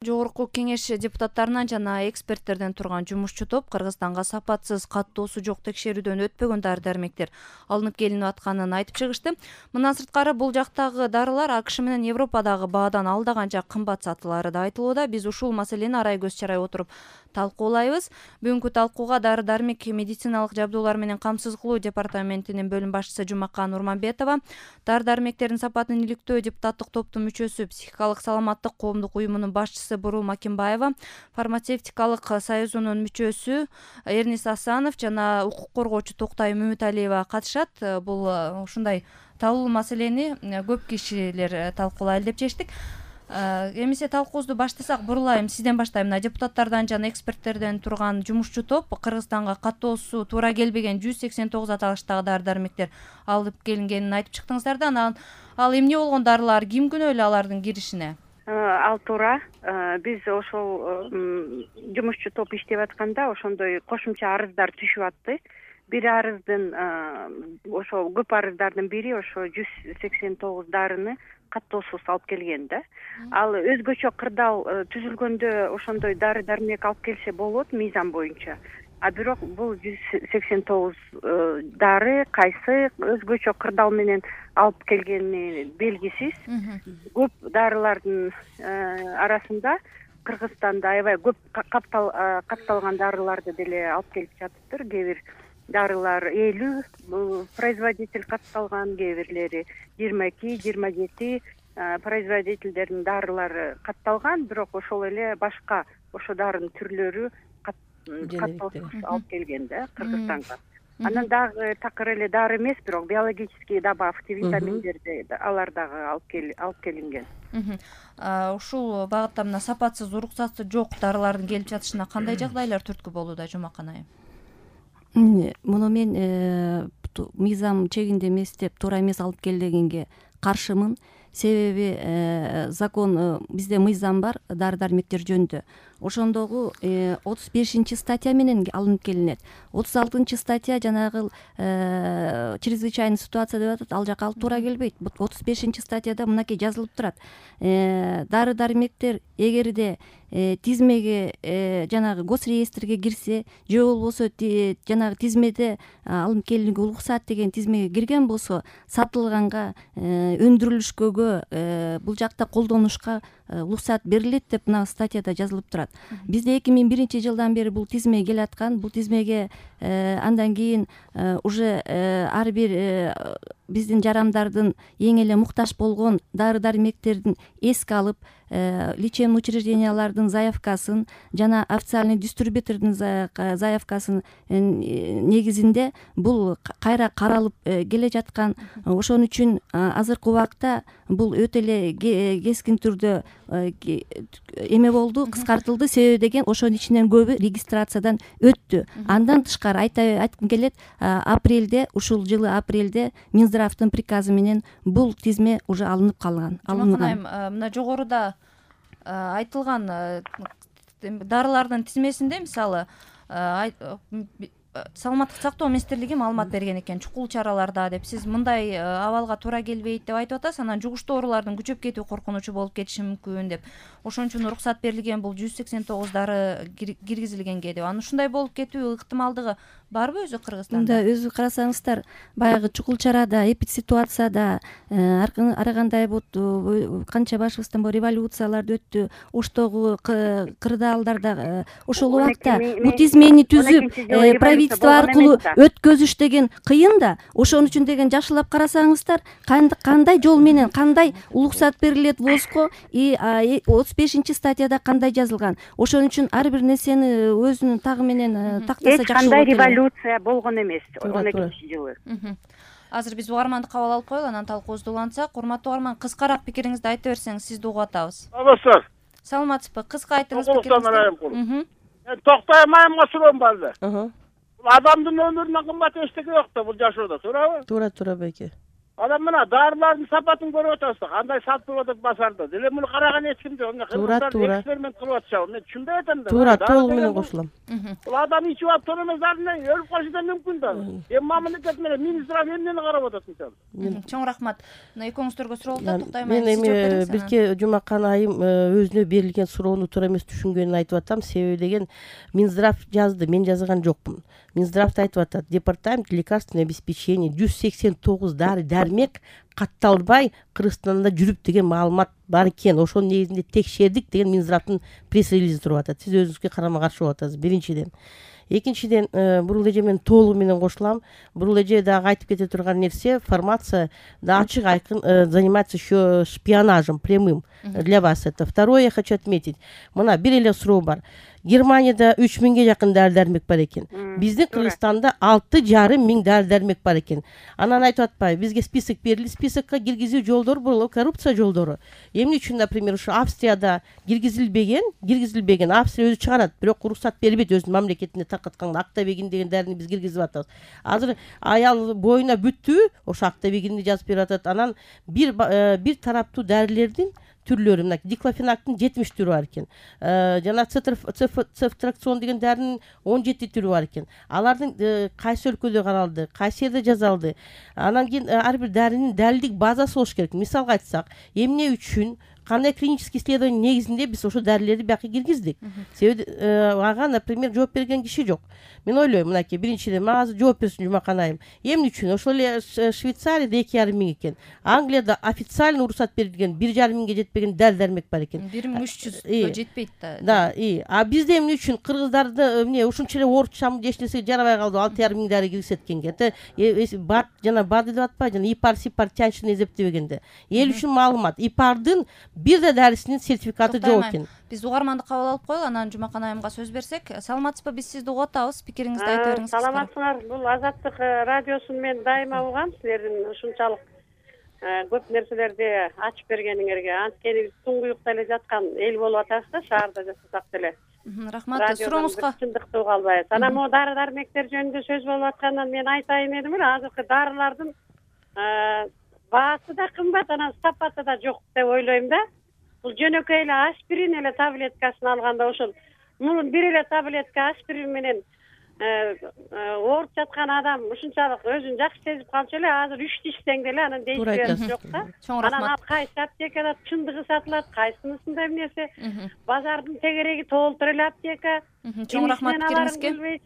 Жогорку Кеңеш депутаттарынан жана эксперттерден турган жумушчу топ Кыргызстанга сапатсыз, каттоосу жок текшерүүдөн өтпөгөн дары-дармектер алынып келинип атканын айтып чыгышты. Мындан сырткары бул жактагы дарылар АКШ менен Европадагы баадан алда канча кымбат сатылары да айтылууда. Биз ушул маселени арай көз чарай отуруп талкуулайбыз. Бүгүнкү талкууга дары-дармек медициналык жабдуулар менен камсыз кылуу департаментинин бөлүм башчысы Жумакан Урманбетова, дары-дармектердин сапатын иликтөө депутаттык топтун мүчөсү, психикалык саламаттык коомдук уюмунун башчысы Бурул Макимбаева, фармацевтикалык союзунун мүчөсү Эрнис Асанов жана укук коргоочу Токтай Мөмүталиева катышат. Бул ушундай талуу маселени көп кишилер талкуулайлы деп чечтик. Эмесе талкуубузду баштасак, бурулайм, сизден баштайм. Депутаттардан жана эксперттерден турган жумушчу топ Кыргызстанга каттоосу туура келбеген 189 аталыштагы дары-дармектер алып келингенин айтып чыктыңыздар да. Анан ал эмне болгон дарылар, ким күнөөлүү алардын киришине? Ал туура. Биз ошол жумушчу топ иштеп атканда ошондой кошумча арыздар түшүп атты. Бир арыздын ошо көп арыздардын бири ошо 189 дарыны каттоосуз алып келген да. Ал өзгөчө кырдаал түзүлгөндө ошондой дары-дармек алып келсе болот мыйзам боюнча. А бирок бул 189 дары кайсы өзгөчө кырдаал менен алып келгени белгисиз. Көп дарылардын арасында Кыргызстанда аябай көп катталган дарыларды деле алып келип жатыптыр. Кээ бир дарылар 50 производитель катталган, кээ бирлери 22-27 производительдердин дарылары катталган, бирок ошол эле башка ошо дарынын түрлөрү каттоосуз алып келген да Кыргызстанга. Анан дагы такыр эле дары эмес, бирок биологический добавки, витаминдерди алар дагы алып келинген. Ушул багытта мына сапатсыз, уруксаты жок дарылардын келип жатышына кандай жагдайлар түрткү болууда, Жумакан айым? Муну мен мыйзам чегинде эмес деп, туура эмес алып келгенге каршымын. Себеби закон, бизде мыйзам бар дары-дармектер жөнүндө. Ошондогу 35 статья менен алынып келинет. 36 статья жанагы чрезвычайный ситуация деп атат, ал жака алып туура келбейт. 35 статьяда мынакей жазылып турат. Дары-дармектер эгерде тизмеге жанагы госреестрге кирсе, же болбосо жанагы тизмеде алынып келүүгө уруксат деген тизмеге кирген болсо, сатылганга, өндүрүлүшкөгө, бул жакта колдонушка уруксат берилет деп мына статьяда жазылып турат. Бизде 2001 жылдан бери бул тизме келаткан. Бул тизмеге андан кийин уже ар бир биздин жарандардын эң эле муктаж болгон дары-дармектердин эске алып, лечебный учреждениялардын заявкасын жана официальный дистрибьютордун заявкасын негизинде бул кайра каралып келе жаткан. Ошон үчүн азыркы убакта бул өтө эле кескин түрдө эме болду, кыскартылды. Себеби деген ошонун ичинен көбү регистрациядан өттү. Андан тышкары айткым келет, апрелде, ушул жылы апрелде Минздравдын приказы менен бул тизме уже алынып калган. Мына жогоруда айтылган дарылардын тизмесинде мисалы Саламаттык сактоо министрлиги маалымат берген экен, чукул чараларда деп. Сиз мындай абалга туура келбейт деп айтып атасыз. Анан жугуштуу оорулардын күчөп кетүү коркунучу болуп кетиши мүмкүн деп. Ошон үчүн уруксат берилген бул 189 дары киргизилгенге деп. Анан ушундай болуп кетүү ыктымалдыгы барбы өзү Кыргызстанда? Мында өзү карасаңыздар, баягы чукул чарада, эпидситуацияда ар кандай канча башыбыздан бул революциялар өттү. Оштогу кырдаалдарда ошол убакта бул тизмени түзүп правительство аркылуу өткөзүш деген кыйын да. Ошон үчүн деген жакшылап карасаңыздар, кандай жол менен, кандай уруксат берилет ВОЗго, 35 статьяда кандай жазылган. Ошон үчүн ар бир нерсени өзүнүн тагы менен тактаса жакшы болот. Кандай революция болгон эмес 12-жылы. Азыр биз угарманды кабыл алып коелу, анан талкуубузду улантсак. Урматтуу угарман, кыскараак пикириңизди айтып берсеңиз, сизди угуп атабыз. Алыңыздар. Саламатсызбы? Кыска айтыңыз пикириңизди. Токтой майымга суроом барды. Бул адамдын өмүрүнөн кымбат эчтеке жок да бул жашоодо, туурабы? Туура, байке. Анан мына дарылардын сапатын көрүп атасыз, кандай сатылып атат базарда. Деле муну караган эч ким жок. Кыргыздар эксперимент кылып атышабы. Мен түшүнбөй атам да. Туура, толугу менен кошулам. Бул адам ичип алып тон эмес дарыны өлүп калышы да мүмкүн да. Эми мамлекет менен министр эмнени карап атат мисалы. Чоң рахмат. Мына экөөңүздөргө суроо болуп атат, Мен эми бирке Жумакан айым өзүнө берилген суроону туура эмес түшүнгөнүн айтып атам. Себеби деген Минздрав жазды, мен жазган жокмун. Минздрав айтып атат, департамент лекарственное обеспечение 189 дары-дармек катталбай Кыргызстанда жүрүп деген маалымат бар экен. Ошонун негизинде текшердик деген Минздравдын пресс-релизи туруп атат. Сиз өзүңүзгө карама каршы болуп атасыз, биринчиден. Экинчиден, бул эже мен толугу менен кошулам. Бул эже дагы айтып кете турган нерсе, формация да ачык айкын занимается еще шпионажем прямым для вас это. Второе я хочу отметить. Мына бир эле суроо бар. Германияда 3000ге жакын дары-дармек бар экен. Биздин Кыргызстанда 6500 дары-дармек бар экен. Анан айтып атпайбы, бизге список берилди, списокко киргизүү жолдору бул коррупция жолдору. Эмне үчүн, например, ушу Австрияда киргизилбеген, Австрия өзү чыгарат, бирок уруксат бербейт өзүнүн мамлекетине таркатканга. Актабегин деген дарыны биз киргизип атабыз. Азыр аял боюна бүттү, ошо Актабегинди жазып берип атат. Анан бир тараптуу дарылердин түрлөрү, мына диклофенактын 70 түрү бар экен. Жана цефтракцион деген дарынын 17 түрү бар экен. Алардын кайсы өлкөдө каралды, кайсы жерде жазалды. Анан кийин ар бир дарынын далилдик базасы болуш керек. Мисалга айтсак, эмне үчүн кандай клинический исследование негизинде биз ошо дарылерди бияка киргиздик. Себеби ага, например, жооп берген киши жок. Мен ойлойм, мынакей, биринчиден мага жооп берсин Жумакан айым. Эмне үчүн? Ошол эле Швейцарияда 2,5 экен. Англияда официально уруксат берилген 1,5 жетпеген дары-дармек бар экен. 1300 жетпейт да. Да, а бизде эмне үчүн кыргыздарды эмне ушунча эле оорутчам эч нерсе жарабай калды, 6,5 дары киргизеткенге. Бат жана бад деп атпайбы, жана ипар тянчыны эзептебегенде. Эл үчүн маалымат, ипардын бир да дарысынын сертификаты жок экен. Биз угарманды кабыл алып коелу, анан Жумакан айымга сөз берсек. Саламатсызбы? Биз сизди угуп атабыз. Пикириңизди айта бериңиз. Саламатсыңар. Бул Азаттык радиосун мен дайыма угам. Силердин ушунчалык көп нерселерди ачып бергениңерге. Анткени биз туңгуюкта эле жаткан эл болуп атабыз да, шаарда жашасак деле. Рахмат. Сурооңузга чындыкты уга албайбыз. Анан могу дары-дармектер жөнүндө сөз болуп аткандан мен айтайын дедим эле, азыркы дарылардын баасы да кымбат, анан сапаты да жок деп ойлойм да. Бул жөнөкөй эле аспирин эле таблеткасын алганда ошол мунун бир эле таблетка аспирин менен ооруп жаткан адам ушунчалык өзүн жакшы сезип калчу эле. Азыр 3 ичсең деле анан дейсип жок да. Анан ал кайсы аптекада чындыгы сатылат, кайсынысында эмнеси, базардын тегереги толтур эле аптека. Чоң рахмат пикириңизге.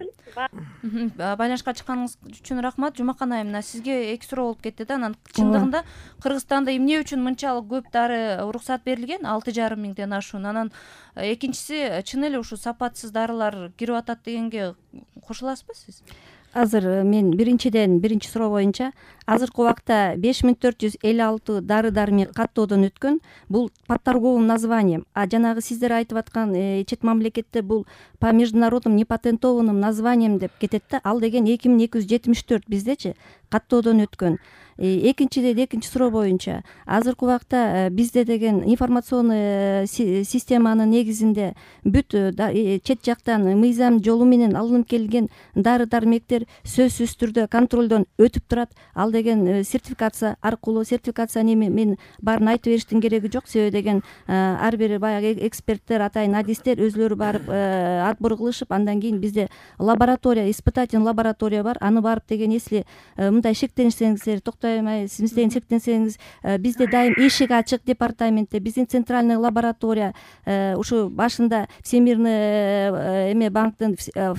Байланышка чыкканыңыз үчүн рахмат. Жумакан айым, мына сизге эки суроо болуп кетти да. Анан чындыгында Кыргызстанда эмне үчүн мынчалык көп дары уруксат берилген? 6,5 ашуун. Анан экинчиси, чын эле ушу сапатсыз дарылар кирип атат дегенге кошуласызбы сиз? Азыр мен биринчи суроо боюнча азыркы убакта 5456 дары-дармек каттоодон өткөн. Бул по торговым названиям. А жанагы сиздер айтып аткан чет мамлекетте бул по международным непатентованным названиям деп кетет да. Ал деген 2274, биздечи каттоодон өткөн. Экинчи суроо боюнча азыркы убакта бизде деген информационный системанын негизинде бүт чет жактан мыйзам жолу менен алынып келген дары-дармектер сөзсүз түрдө контролдон өтүп турат. Ал деген сертификация аркылуу, сертификация мен баарын айтып бериштин кереги жок. Себеби деген ар бир баягы эксперттер, атайын адистер өзлөрү барып отбор кылышып, андан кийин бизде лаборатория, испытательный лаборатория бар. Аны барып деген если мындай шектенсеңиздер, сиз деген шектенсеңиз, бизде дайым эшик ачык департаментте, биздин центральный лаборатория ушу башында Всемирный банктын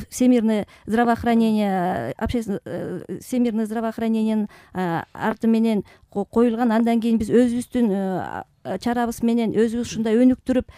Всемирный здравоохранение, Всемирный здравоохранениянын арты менен коюлган. Андан кийин биз өзүбүздүн чарабыз менен өзүбүз ушундай өнүктүрүп,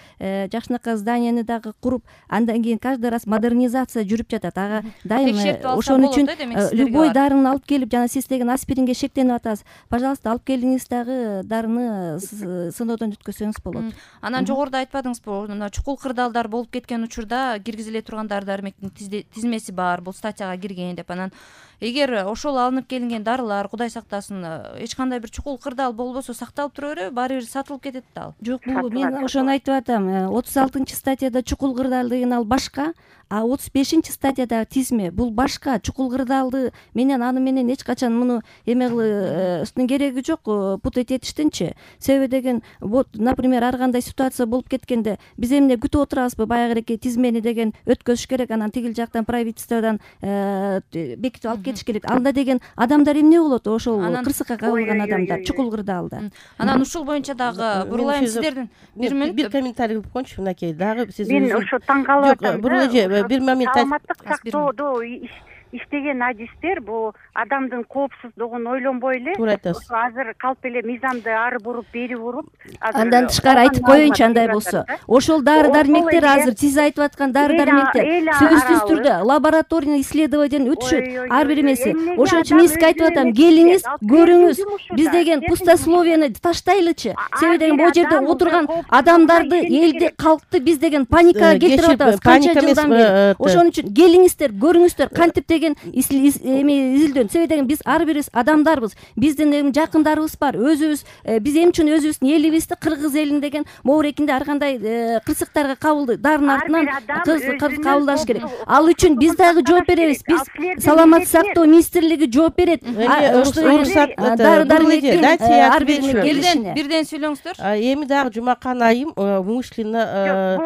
жакшынакай зданияны дагы куруп, андан кийин каждый раз модернизация жүрүп жатат. Ага дайым ошон үчүн любой дарыны алып келип, жана сиз деген аспиринге шектенип атасыз, пожалуйста, алып келиңиз дагы дарыны сыноодон өткөзсөңүз болот. Анан жогоруда айтпадыңызбы, мына чукул кырдаалдар болуп кеткен учурда киргизиле турган дары-дармектин тизмеси бар, бул статьяга кирген деп. Анан эгер ошол алынып келинген дарылар, Кудай сактасын, эч кандай бир чукул кырдаал болбосо сакталып тура береби? Баары бир сатылып болуп кетет да ал. Жок, бул мен ошону айтып атам. 36-статьяда чукул кырдаал деген ал башка, а 35-статьядагы тизме бул башка. Чукул кырдаалды менен аны менен эч качан муну эме кылыштын кереги жок, путать этиштинчи. Себеби деген вот, например, ар кандай ситуация болуп кеткенде биз эмне күтүп отурабызбы, баягыреки тизмени деген өткөзүш керек, анан тигил жактан правительстводон бекитип алып кетиш керек. Анда деген адамдар эмне болот? Ошол кырсыкка кабылган адамдар чукул кырдаалда. Анан ушул боюнча дагы бурулайм сиздердин бир комментарий кылып коеюнчу. Мынакей дагы сиз мен ошо таң калып атам. Жок, бир момент саламаттык сактоодо иштеген адистер бул адамдын коопсуздугун ойлонбой эле азыр калп эле мыйзамды ары буруп бери буруп андан тышкары айтып коеюнчу, андай болсо ошол дары дармектер азыр сиз айтып аткан дары дармектер сөзсүз түрдө лабораторный исследованиеден өтүшөт ар бир эмеси. Ошон үчүн мен сизге айтып атам, келиңиз көрүңүз, биз деген пустословияны таштайлычы. Себеби деген бул жерде отурган адамдарды, элди, калкты биз деген паникага келтирип атабыз канча жылдан бери. Ошон үчүн келиңиздер, көрүңүздөр кантип деген изилдөөн. Себеби деген биз ар бирибиз адамдарбыз. Биздин жакындарыбыз бар. Өзүбүз биз эмне үчүн өзүбүздүн элибизди кыргыз элин деген моорекинде ар кандай кырсыктарга кабылды. Дарын артынан кабылдаш керек. Ал үчүн биз дагы жооп беребиз. Биз саламаттык сактоо министрлиги жооп берет. Дары дармектин ар биринин келишине. Бирден сүйлөңүздөр. Эми дагы Жумакан айым умышленно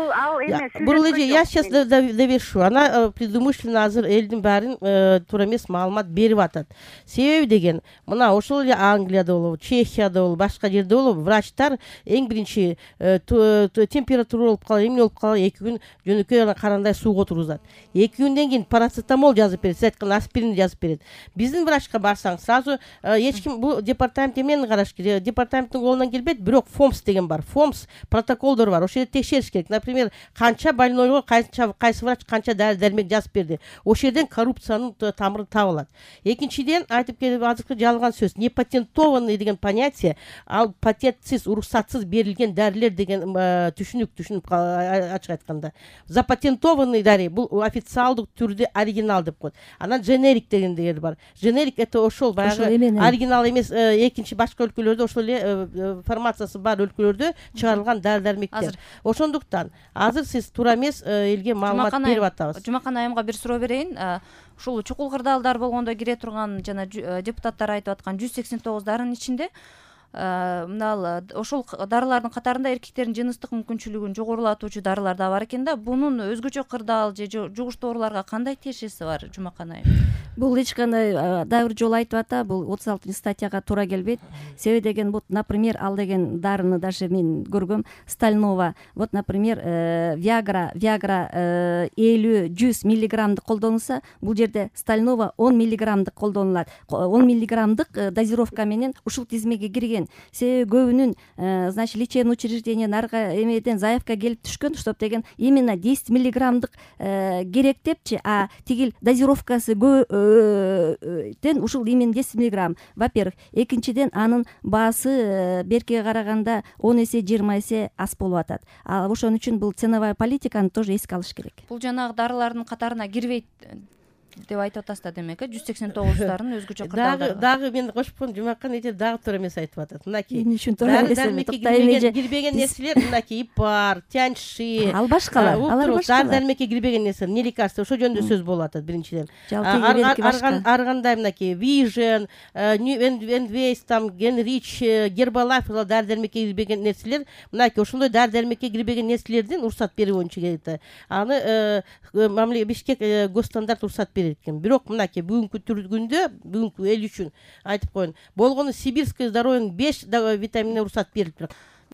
бул эже я сейчас довершу. Она предумышленно азыр элдин баарын туура эмес маалымат берип атат. Себеби деген мына ошол эле Англияда болобу, Чехияда болобу, башка жерде болобу, врачтар эң биринчи температура болуп калып, эмне болуп калып 2 күн жөнөкөй карандай сууга отургузат. 2 күндөн кийин парацетамол жазып берет, сиз айткан аспирин жазып берет. Биздин врачка барсаң, сразу эч ким бул департамент эмнени караш керек? Департаменттин колунан келбейт, бирок ФОМС деген бар. ФОМС протоколдор бар. Ошол жерде текшериш керек. Например, канча больнойго кайсы врач канча дары-дармек жазып берди. Ошол жерден коррупциянын тамыры табылат. Экинчиден айтып келип азыркы жалган сөз, непатентованный деген понятие, ал патентсиз, уруксатсыз берилген дарилер деген түшүнүк ачык айтканда. Запатентованный дари бул официалдык түрдө оригинал деп коет. Анан generic дегендер бар. Generic это ошол баягы оригинал эмес, экинчи башка өлкөлөрдө ошол эле формациясы бар өлкөлөрдө чыгарылган дары-дармектер. Ошондуктан азыр сиз туура эмес элге маалымат берип атабыз. Жумакан айымга бир суроо берейин. Ушул чукул кырдаалдар болгондо кире турган жана депутаттар айтып аткан 189 дарынын ичинде мына ошол дарылардын катарында эркектердин жыныстык мүмкүнчүлүгүн жогорулатуучу дарылар да бар экен да. Бунун өзгөчө кырдаал же жугуштуу ооруларга кандай тиешеси бар, Жумакан айым? Бул эч кандай дагы бир жолу айтып ата, бул 36-статьяга туура келбейт. Себеби деген вот, например, ал деген дарыны даже мен көргөм, Стальнова. Вот, например, Viagra 50-100 миллиграммдык колдонулса, бул жерде Стальнова 10 миллиграммдык колдонулат. 10 миллиграммдык дозировка менен ушул тизмеге кирген. Себеби көбүнүн значит лечебный учреждениеден арга эмеден заявка келип түшкөн, чтоб деген именно 10 миллиграммдык керек депчи, а тигил дозировкасы тен ушул именно 10 миллиграмм. Во-первых, экинчиден анын баасы беркиге караганда 10 эсе 20 эсе аз болуп атат. Ошон үчүн бул ценовая политиканы тоже эске алыш керек. Бул жанагы дарылардын катарына кирбейт деп айтып атасыз да, демек 189 дарын өзгөчө кырдаалдар. Дагы мен кошупкон Жумакан эже дагы туура эмес айтып атат. Мынакей дары-дармекке кирбеген нерселер, мынакей ипар, тяньши, ал башкалар, алар башкалар. Дары-дармекке кирбеген нерселер, не лекарства, ошол жөнүндө сөз болуп атат биринчиден. Ар кандай мынакей Vision, Enways, там Genrich, Herbalife дары-дармекке кирбеген нерселер, мынакей ошондой дары-дармекке кирбеген нерселердин уруксат берүү боюнча келет. Аны мамиле Бишкек госстандарт уруксат берет экен. Бирок мынакей бүгүнкү күндө, бүгүнкү эл үчүн айтып коеюн, болгону сибирское здоровьенин 5 витаминине уруксат берилип турат.